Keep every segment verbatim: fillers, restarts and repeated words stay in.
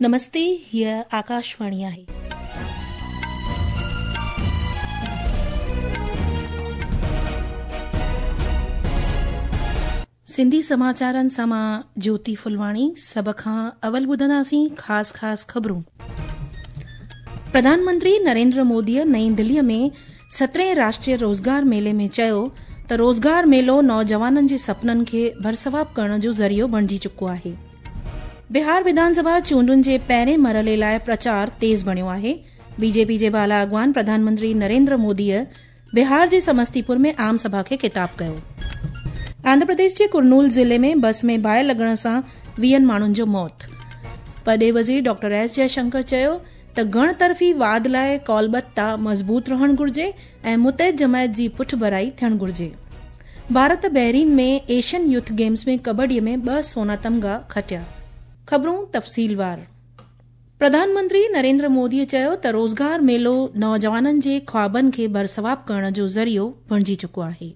नमस्ते, हीअ आकाशवाणी आहे. सिंधी समाचारनि सां मां ज्योति फुलवाणी। सभ खां अवल ॿुधंदासीं ख़ासि ख़ासि ख़बरूं। प्रधानमंत्री नरेंद्र मोदीअ नई दिल्लीअ में सतरहें राष्ट्रीय रोज़गार मेले में चयो त रोज़गार मेलो नौजवाननि जे सपननि खे भरसवाब करण जो ज़रियो बणिजी चुको आहे। बिहार विधानसभा चूंडुनि जे पहिरें मरहले लाइ प्रचार तेज़ बणियो आहे। बीजेपी जे बाला अॻवान प्रधानमंत्री नरेंद्र मोदीअ बिहार जे समस्तीपुर में आम सभा खे ख़िताब कयो। आंध्र प्रदेश जे कुरनूल ज़िले में बस में बाहि लॻण सां वीहनि माण्हुनि जो मौत। परॾेही वज़ीर डॉक्टर एस जयशंकर चयो त घणतरफ़ी वाद लाइ कौलबद्धता मज़बूत रहणु घुर्जे ऐं मुतहद जमायत जी पुठभराई थियणु घुर्जे। Bharat Bahrain में एशियन यूथ गेम्स में कबड्डीअ में ॿ सोना तमगा खटिया। ख़बरूं तफ़सीलवार। प्रधानमंत्री नरेंद्र मोदीअ चयो त रोज़गार मेलो नौजवाननि जे ख़्वाबनि खे भरसवाब करण जो ज़रियो बणिजी चुको आहे।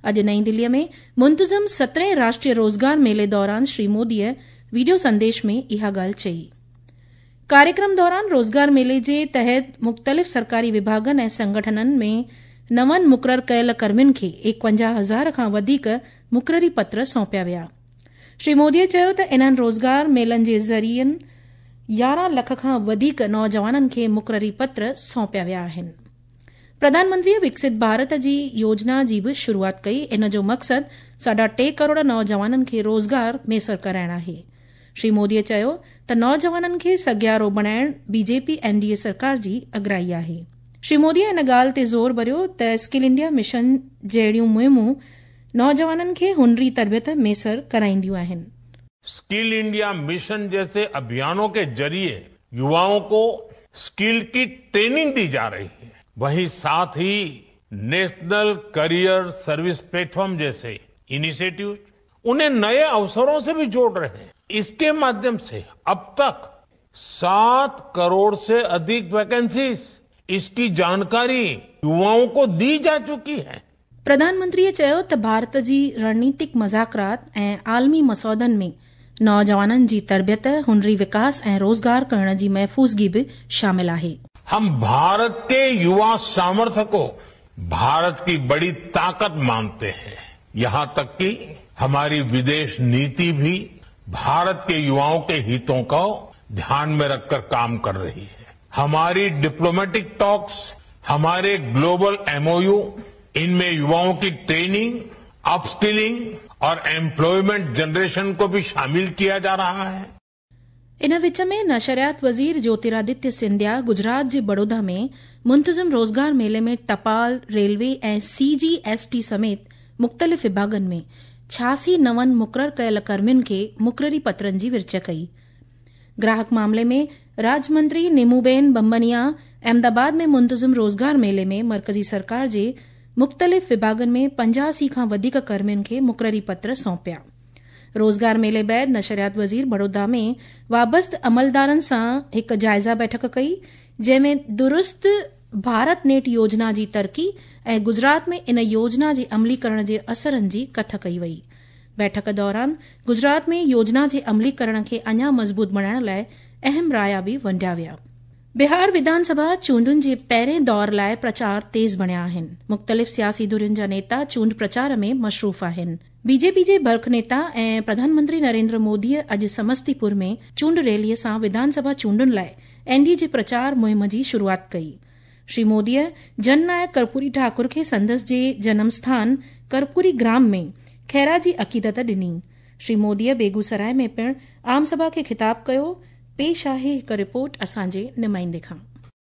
अॼु नई दिल्लीअ में मुंतज़म सतरहें राष्ट्रीय रोज़गार मेले दौरान श्री मोदीअ वीडियो संदेश में इहा ॻाल्हि चई। कार्यक्रम दौरान रोज़गार मेले जे तहत मुख़्तलिफ़ सरकारी विभागनि ऐं संगठननि में नवनि मुक़ररु कयल कर्मियुनि खे एकवंजाह हज़ार खां वधीक मुक़ररी पत्र सौंपिया विया। श्री मोदीअ चयो त इन्हनि रोज़गार मेलनि जे ज़रियनि यारहं लख खां वधीक नौजवाननि खे मुक़ररी पत्र सौंपिया विया आहिनि। प्रधानमंत्रीअ विकसित भारत जी योजना जी बि शुरूआत कई। इन जो मक़सदु साढा टे करोड़ नौजवाननि खे रोज़गार मयसर कराइणु आहे। श्री मोदीअ चयो त नौजवाननि खे सघियारो बणाइण बीजेपी एनडीए सरकार जी अगराई आहे। श्री मोदीअ इन ॻाल्हि ते ज़ोर भरियो त स्किल इंडिया मिशन जहिड़ियूं मुहिमूं नौजवाननि खे हुनरी तरबियत मयसर कराईंदियूं आहिनि। स्किल इंडिया मिशन जैसे अभियानों के जरिए युवाओं को स्किल की ट्रेनिंग दी जा रही है। वहीं साथ ही नेशनल करियर सर्विस प्लेटफॉर्म जैसे इनिशिएटिव उन्हें नए अवसरों से भी जोड़ रहे हैं। इसके माध्यम से अब तक सात करोड़ से अधिक वैकेंसीज, इसकी जानकारी युवाओं को दी जा चुकी है। प्रधानमंत्रीअ चयो त भारत जी रणनीतिक मज़ाकरात ऐं आलमी मसौदनि में नौजवाननि जी तरबियत, हुनरी विकास ऐं रोज़गार करण जी महफ़ूज़गी बि शामिल आहे। हम भारत के युवा सामर्थ्य को भारत की बड़ी ताकत मानते हैं। यहां तक कि हमारी विदेश नीति भी भारत के युवाओं के हितों को ध्यान में रखकर काम कर रही है। हमारी डिप्लोमेटिक टॉक्स, हमारे ग्लोबल एमओयू, इनमें युवाओं की ट्रेनिंग, अपस्किलिंग और एम्प्लॉयमेंट जनरेशन को भी शामिल किया जा रहा है। इन विच में नशरियात वज़ीर ज्योतिरादित्य सिंधिया गुजरात जे बड़ौदा में मुंतज़िम रोज़गार मेले में टपाल, रेलवे ऐं सी जी एस टी समेत मुख़्तलिफ़ विभागनि में छियासी नवनि मुक़ररु कयल कर्मियुनि खे मुक़ररी पत्रनि जी विर्च कई। ग्राहक मामले में राज्यमंत्री निमूबेन बम्बनिया अहमदाबाद में मुंतज़िम रोज़गार मेले में मरकज़ी सरकार जे मुख़्तलिफ़ विभागनि में पंजासी खां वधीक कर्मियुनि खे मुक़ररी पत्र सौंपिया। रोज़गार मेले बाद नशरियात वज़ीर बड़ौदा में वाबस्त अमलदारनि सां हिकु जाइज़ा बैठक कई, जंहिंमें दुरुस्त भारत नेट योजना जी तरक़ी ऐं गुजरात में इन योजना जे अमलीकरण जे असरनि जी कथ कई वई। बैठक दौरान गुजरात में योजना जे अमलीकरण खे अञा मज़बूत बणाइण लाइ अहम राया बि वंडिया विया। बिहार विधानसभा चूंडुनि जे पहिरें दौर लाइ प्रचार तेज़ बणिया आहिनि। मुख़्तलिफ़ सियासी धुरियुनि जा नेता चूंड प्रचार में मशरूफ़ आहिनि। बीजेपी जे बर्ख नेता ऐं प्रधानमंत्री नरेंद्र मोदीअ अॼु समस्तीपुर में चूंड रैलीअ सां विधानसभा चूंडुनि लाइ एनडीए जे प्रचार मुहिम जी शुरूआत कई। श्री मोदीअ जननायक कर्पूरी ठाकुर खे संदसि जे जनमस्थान कर्पूरी ग्राम में ख़ैरा जी अक़ीदत ॾिनी। श्री मोदीअ बेगूसराय में पिणु आम सभा खे ख़िताब कयो। पेश आहे हिकु रिपोर्ट असांजे नुमाइंदे खां।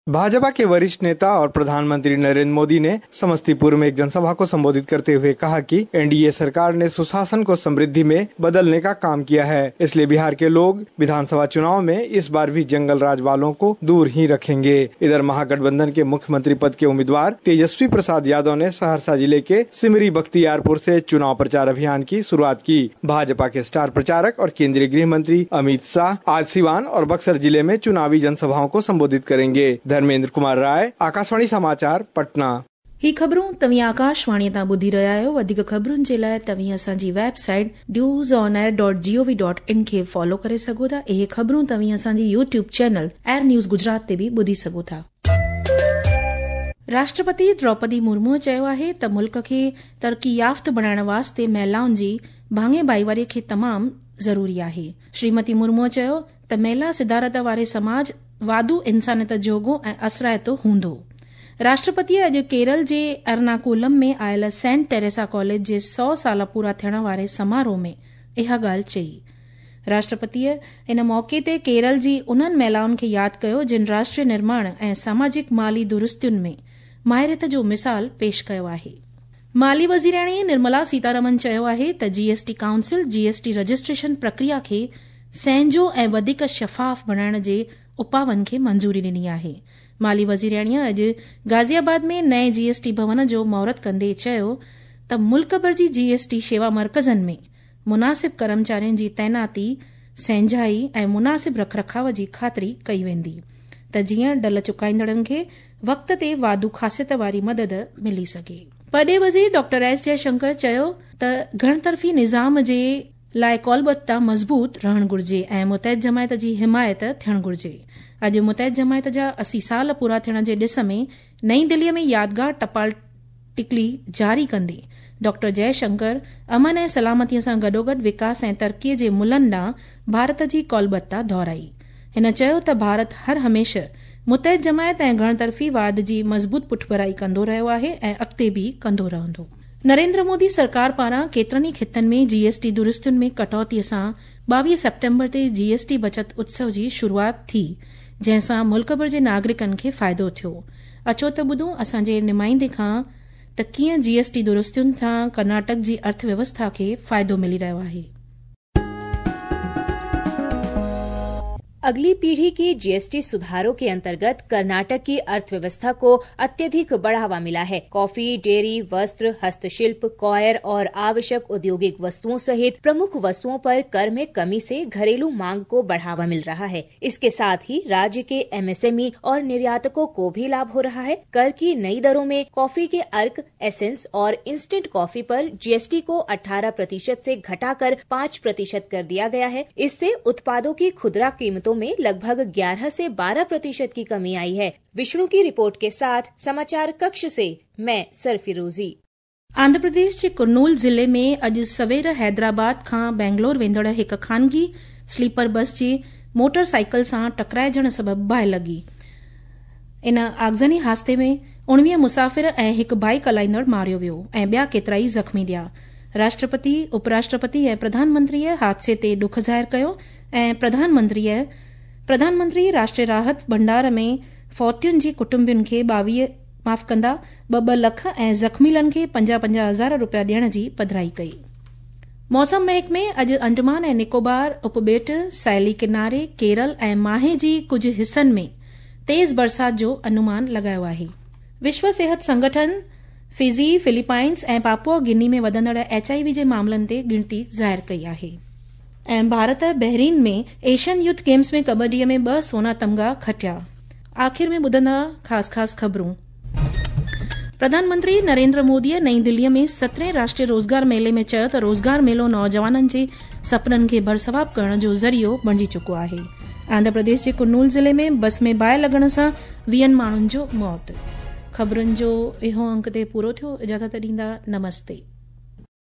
भाजपा के वरिष्ठ नेता और प्रधानमंत्री नरेंद्र मोदी ने समस्तीपुर में एक जनसभा को संबोधित करते हुए कहा कि एनडीए सरकार ने सुशासन को समृद्धि में बदलने का काम किया है, इसलिए बिहार के लोग विधानसभा चुनाव में इस बार भी जंगल राज वालों को दूर ही रखेंगे। इधर महागठबंधन के मुख्यमंत्री पद के उम्मीदवार तेजस्वी प्रसाद यादव ने सहरसा जिले के सिमरी बख्तियारपुर से चुनाव प्रचार अभियान की शुरुआत की। भाजपा के स्टार प्रचारक और केंद्रीय गृह मंत्री अमित शाह आज सिवान और बक्सर जिले में चुनावी जनसभाओं को संबोधित करेंगे। धर्मेंद्र कुमार राय, आकाशवाणी समाचार, पटना। ही ख़बरूं तव्हीं आकाशवाणीअ तां ॿुधी रहिया आहियो। वधीक ख़बरुनि जे लाइ तव्हीं असांजी website news on air dot G O V dot in खे फॉलो करे सघो था। इहे ख़बरूं तव्हीं असांजी YouTube channel AIR news Gujarat ते बि ॿुधी सघो था। राष्ट्रपति द्रौपदी मुर्मूअ चयो आहे त मुल्क खे तरक़ी याफ़्त बणाइण वास्ते महिलाउनि जी भाङे भाईवारीअ खे तमामु ज़रूरी आहे। श्रीमती मुर्मूअ चयो त महिला सिदारत वारे समाज वाधू इंसानियत जोगो ऐं असराइतो हूंदो। राष्ट्रपतीअ अॼु केरल जे एर्नाकुलम में आयल सेंट टेरेसा कॉलेज जे सौ साल पूरा थियण वारे समारोह में इहा ॻाल्हि चई। राष्ट्रपतीअ इन मौक़े ते केरल जी उन्हनि महिलाउनि खे यादि कयो जिन राष्ट्रीय निर्माण ऐं सामाजिक माली दुरुस्तियुनि में माहिरियत जो मिसाल पेश कयो आहे। माली वज़ीराणी निर्मला सीतारमन चयो आहे त जीएसटी काउंसिल जीएसटी रजिस्ट्रेशन प्रक्रिया खे सहजो ऐं वधीक शफ़ाफ़ बणाइण जे उपाउनि खे मंज़ूरी ॾिनी आहे। माली वज़ीराणीअ अॼु गाज़ियाबाद में नए जीएसटी भवन जो मुहूर्त कंदे चयो त मुल्क भर जी जीएसटी शेवा मर्कज़नि में मुनासिब कर्मचारियुनि जी तैनाती, सहंजाई ऐं मुनासिब रखरखाव जी ख़ातिरी कई वेंदी त जीअं डल चुकाईंदड़नि खे वक़्त ते वाधू ख़ासियत वारी मदद मिली सघे। परॾेही वज़ीर डॉक्टर एस जयशंकर चयो त घणतरफ़ी निज़ाम जे लाइ कौलबद्धता मज़बूत रहणु घुर्जे ऐं मुतहद जमायत जी हिमायत थियणु घुर्जे। अॼु मुतहद जमायत जा असी साल पूरा थियण जे ॾिस में नई दिल्लीअ में यादगार टपाल टिकली जारी कंदे डॉक्टर जयशंकर अमन ऐं सलामतीअ सां गॾोगॾु विकास ऐं तरक़ीअ जे मुलनि ॾांहुं भारत जी कौलबद्धता दोहराई। हिन चयो त भारत हर हमेशह मुतहद जमायत ऐं घणतरफ़ी वाद जी मज़बूत पुठभराई कंदो रहियो आहे ऐं अॻिते बि कंदो रहंदो। नरेंद्र मोदी सरकार पारां केतिरनि ई ख़ितनि में जीएसटी दुरुस्तियुनि में कटौतीअ सां ॿावीह सेप्टेम्बर ते जीएसटी बचत उत्सव जी शुरूआत थी, जंहिं सां मुल्क भर जे नागरिकनि खे फ़ाइदो थियो। अचो त ॿुधूं असांजे नुमाइंदे खां त कीअं जीएसटी दुरुस्तियुनि सां कर्नाटक जी अर्थव्यवस्था खे फ़ाइदो मिली रहियो आहे। अगली पीढ़ी की जीएसटी सुधारों के अंतर्गत कर्नाटक की अर्थव्यवस्था को अत्यधिक बढ़ावा मिला है। कॉफी, डेयरी, वस्त्र, हस्तशिल्प, कॉयर और आवश्यक औद्योगिक वस्तुओं सहित प्रमुख वस्तुओं पर कर में कमी से घरेलू मांग को बढ़ावा मिल रहा है। इसके साथ ही राज्य के एमएसएमई और निर्यातकों को भी लाभ हो रहा है। कर की नई दरों में कॉफी के अर्क, एसेंस और इंस्टेंट कॉफी पर जीएसटी को अठारह प्रतिशत से घटाकर पाँच प्रतिशत कर दिया गया है। इससे उत्पादों की खुदरा कीमतों में लगभग ग्यारह से बारह प्रतिशत की कमी आई है। विष्णु की रिपोर्ट के साथ समाचार कक्ष से मैं सरफिरोजी। आंध्र प्रदेश जे कुरनूल ज़िले में अॼु सवेर हैदराबाद खां बेंगलोर वेंदड़ हिकु खानगी स्लीपर बस जे मोटर साइकिल सां टकराइजण सबबि बाहि लॻी। इन आगज़नी हादसे में उणिवीह मुसाफ़िर ऐं हिकु बाइक हलाईंदड़ मारियो वियो ऐं ॿिया केतिरा ई ज़ख़्मी थिया। राष्ट्रपति, उपराष्ट्रपति ऐं प्रधानमंत्रीअ हादसे ते ॾुख ज़ाहिर कयो ऐं प्रधानमंत्रीअ प्रधानमंत्री राष्ट्रीय राहत भंडार में फौतियुनि जे कुटुंबियुनि खे ॿावीह माफ़ कंदा ॿ ॿ लख ऐं ज़ख़्मीलनि खे पंजाह पंजाह हज़ार रुपया ॾियण जी पधराई कई। मौसम महकमे अॼु अंडमान ऐं निकोबार उपॿेट, साहिली किनारे, केरल ऐं माहे जी कुझु हिसनि में तेज़ बरसात जो अनुमान लॻायो आहे। विश्व सेहत संगठन फिजी, फिलीपाइंस ऐं पापुआ गिनी में वधंदड़ एच I V जे मामलनि ते गिणती ज़ाहिर कई आहे। ऐं Bharat Bahrain में एशियन यूथ गेम्स में कबड्डीअ में ॿ सोना तमगा खटिया। आख़िर में ॿुधंदा ख़ासि ख़ासि ख़बरूं। प्रधानमंत्री नरेंद्र मोदीअ नई दिल्लीअ में सतरहें राष्ट्रीय रोज़गार मेले में चयो त रोज़गार मेलो नौजवाननि जे सपननि खे भरसवाब करण जो ज़रियो बणिजी चुको आहे। आंध्र प्रदेश जे कुरनूल ज़िले में बस में बाहि लॻण सां वीहनि माण्हुनि जो मौत। ख़बरुनि जो इहो अंक ते पूरो थियो। इजाज़त ॾींदा, नमस्ते।